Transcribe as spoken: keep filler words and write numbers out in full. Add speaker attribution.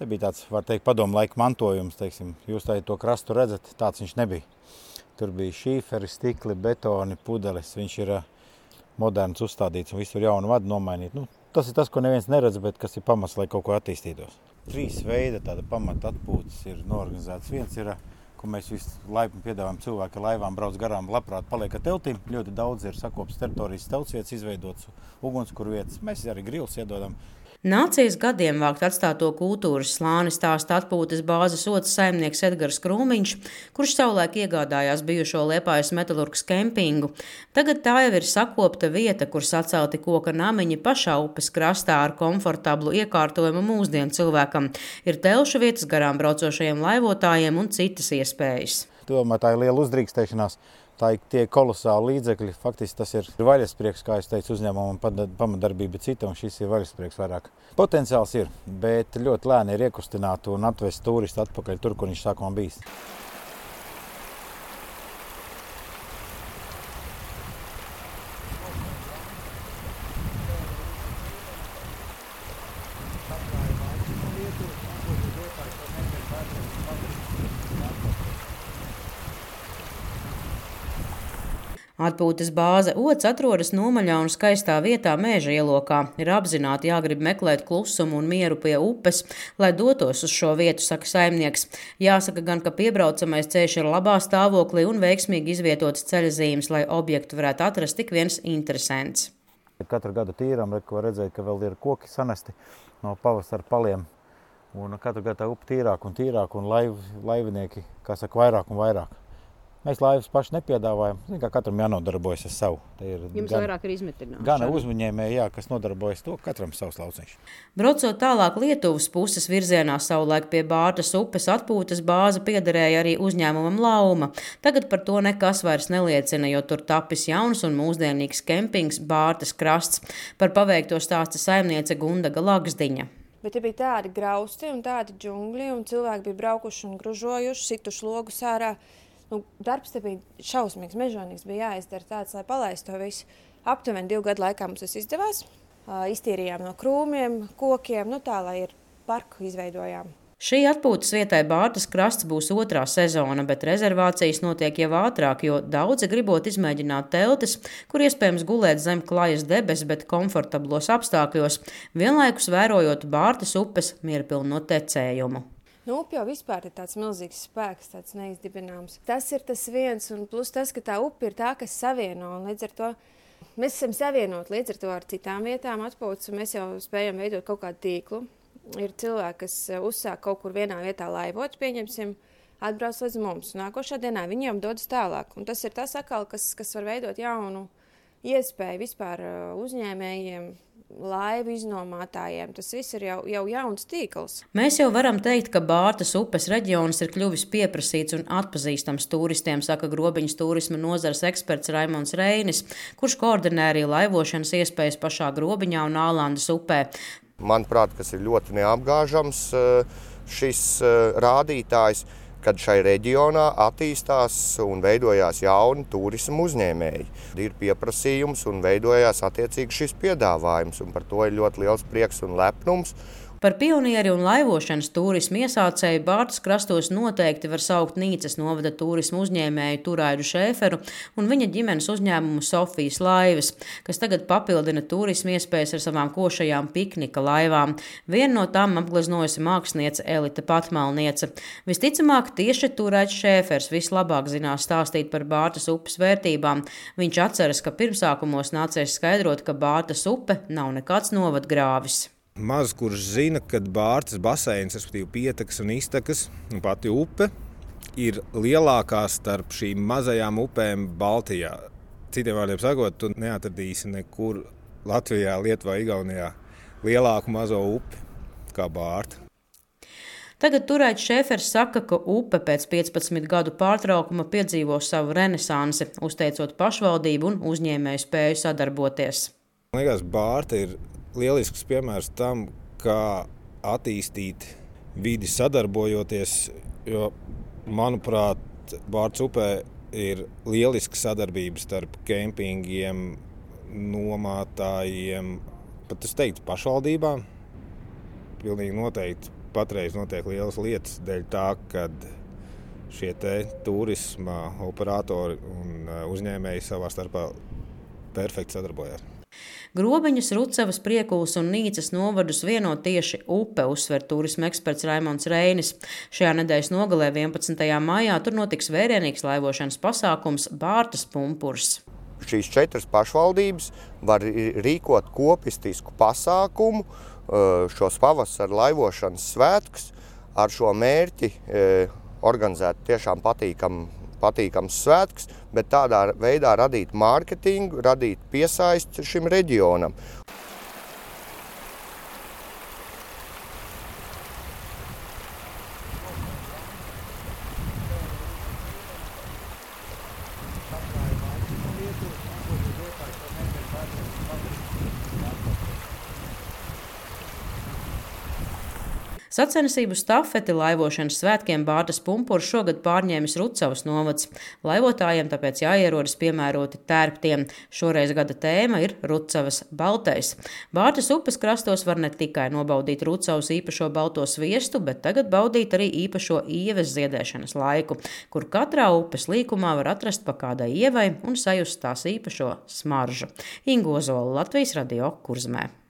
Speaker 1: Te bija tāds, var teikt, padomu laika mantojums, teiksim. Jūs tā, to krastu redzat, tāds viņš nebija. Tur bija šīferi, stikli, betoni, pudeles. Viņš ir moderns uzstādīts un visur jaunu vadu nomainīt. Nu, tas ir tas, ko neviens neredz, bet kas ir pamats, lai kaut ko attīstītos. Trīs veida tāda pamata atpūtas ir norganizētas. Viens ir, ko mēs visu laipni piedāvājam cilvēki, ka laivām brauc garām, labprāt paliek ar teltīm. Ļoti daudz ir sakopas teritorijas teltsvietas izveidotas, ugunskurvietas. Mēs arī grils iedodam.
Speaker 2: Nācijas gadiem vākt atstāto kultūras slāni stāsta atpūtas bāzes otrs saimnieks Edgars Krūmiņš, kurš savulaik iegādājās bijušo Liepājas metalurgas kempingu. Tagad tā jau ir sakopta vieta, kur sacelti koka namiņi pašā upes krastā ar komfortablu iekārtojumu mūsdienu cilvēkam. Ir telšu vietas garām braucošajiem laivotājiem un citas iespējas.
Speaker 1: Domā, tā ir liela uzdrīkstēšanās. Tā ir tie kolosāli līdzekļi. Faktiski tas ir vaļasprieks, kā es teicu, uzņēmuma un pamatdarbība cita, un šis ir vaļasprieks vairāk. Potenciāls ir, bet ļoti lēni ir iekustināt un atvest turistu atpakaļ tur, kur viņš sākumā bijis.
Speaker 2: Atpūtas bāze Ods atrodas nomaļā un skaistā vietā Mēža ielokā. Ir apzināti jāgrib meklēt klusumu un mieru pie upes, lai dotos uz šo vietu, saka saimnieks. Jāsaka gan, ka piebraucamais ceļš ir labā stāvoklī un veiksmīgi izvietotas ceļazīmes, lai objektu varētu atrast tik viens interesants.
Speaker 1: Katru gadu tīram, var redzēt, ka vēl ir koki sanesti no pavasara paliem. Un katru gadu tā upe tīrāk un tīrāk un laiv, laivinieki, kā saka, vairāk un vairāk. Mēs laivas paši nepiedāvājam, kā katram jānodarbojas ar savu.
Speaker 2: Ir Jums gan, vairāk ir izmetināšana.
Speaker 1: Gan uzņēmēji, jā, kas nodarbojas to, katram savs lauciņš.
Speaker 2: Braucot tālāk Lietuvas puses virzienā savulaik pie Bārtas upes atpūtas bāze piederēja arī uzņēmumam Lauma. Tagad par to nekas vairs neliecina, jo tur tapis jauns un mūsdienīgs kempings Bārtas krasts. Par paveikto stāsta saimniece Gundaga Lagsdiņa.
Speaker 3: Bet te bija tādi grausti un tādi džungļi, un cilvēki bija braukuši un gružojuši, situši logus ārā. Nu, darbs te bija šausmīgs, mežonīgs, bija jāizdara tāds, lai palaistu to visu. Aptuveni divu gadu laikā mums tas izdevās. Iztīrījām no krūmiem, kokiem, nu tā, lai ir parku izveidojām.
Speaker 2: Šī atpūtas vietai Bārtas krasts būs otrā sezona, bet rezervācijas notiek jau ātrāk, jo daudzi gribot izmēģināt teltis, kur iespējams gulēt zem klajas debes, bet komfortablos apstākļos, vienlaikus vērojot Bārtas upes mierpilno tecējumu.
Speaker 3: Nu, upe jau vispār ir tāds milzīgs spēks, tāds neizdibināms. Tas ir tas viens, un plus tas, ka tā upe ir tā, kas savieno, un līdz ar to mēs esam savienot līdz ar to ar citām vietām atpūtas, un mēs jau spējam veidot kaut kādu tīklu. Ir cilvēki, kas uzsāk kaut kur vienā vietā laivot, pieņemsim, atbrauc līdz mums. Nākošā dienā viņiem dodas tālāk, un tas ir tas atkal, kas, kas var veidot jaunu iespēju vispār uzņēmējiem, laivu iznomātājiem. Tas viss ir jau, jau jauns tīkls.
Speaker 2: Mēs jau varam teikt, ka Bārtas upes reģions ir kļuvis pieprasīts un atpazīstams turistiem, saka Grobiņas turisma nozares eksperts Raimonds Reinis, kurš koordinē arī laivošanas iespējas pašā Grobiņā un Ālandas upē.
Speaker 4: Manuprāt, kas ir ļoti neapgāžams šis rādītājs, kad šai reģionā attīstās un veidojās jauni turisma uzņēmēji. Ir pieprasījums un veidojās attiecīgi šis piedāvājums, un par to ir ļoti liels prieks un lepnums.
Speaker 2: Par pionieri un laivošanas turismu iesācēju Bārtas krastos noteikti var saukt Nīcas novada turismu uzņēmēju Turaidu Šēferu un viņa ģimenes uzņēmumu Sofijas laivas, kas tagad papildina turismu iespējas ar savām košajām piknika laivām. Viena no tām apgleznojusi māksliniece Elita Patmalniece. Visticamāk, tieši Turaids Šēfers vislabāk zinās stāstīt par Bārtas upes vērtībām. Viņš atceras, ka pirmsākumos nācies skaidrot, ka Bārtas upe nav nekāds novadgrāvis.
Speaker 5: Maz kurš zina, ka Bārtas baseins, respektīvi pietekas un iztekas, un pati upe ir lielākā starp šīm mazajām upēm Baltijā. Citiem vārdiem sakot, tu neatradīsi nekur Latvijā, Lietuvā, Igaunijā lielāku mazo upi kā Bārta.
Speaker 2: Tagad Turaids Šēfers saka, ka upe pēc piecpadsmit gadu pārtraukuma piedzīvo savu renesansi, uzteicot pašvaldību un uzņēmēju spēju sadarboties.
Speaker 5: Man liekas, Bārta ir lielisks piemērs tam, kā attīstīt vidi sadarbojoties, jo, manuprāt, Bārtas upē ir lieliska sadarbība starp kempingiem, nomātājiem, pat es teiktu pašvaldībām. Pilnīgi noteikti patreiz notiek lielas lietas dēļ tā, kad šie te turisma operatori un uzņēmēji savā starpā perfekti sadarbojās.
Speaker 2: Grobiņas, Rucavas, Priekulas un Nīcas novadus vieno tieši upe, uzsver turisma eksperts Raimonds Reinis. Šajā nedēļas nogalē vienpadsmitajā maijā tur notiks vērienīgs laivošanas pasākums Bārtas pumpurs.
Speaker 4: Šīs četras pašvaldības var rīkot kopistisku pasākumu, šos pavasara laivošanas svētkus, ar šo mērķi organizēt tiešām patīkamu patīkams svētks, bet tādā veidā radīt mārketingu, radīt piesaisti šim reģionam.
Speaker 2: Sacensību stafeti laivošanas svētkiem Bārtas pumpurs šogad pārņēmis Rucavas novads. Laivotājiem tāpēc jāierodas piemēroti tērptiem. Šoreiz gada tēma ir Rucavas baltais. Bārtas upes krastos var ne tikai nobaudīt Rucavas īpašo balto sviestu, bet tagad baudīt arī īpašo ieves ziedēšanas laiku, kur katrā upes līkumā var atrast pa kādai ievai un sajust tās īpašo smaržu. Inga Ozola, Latvijas radio, Kurzemē.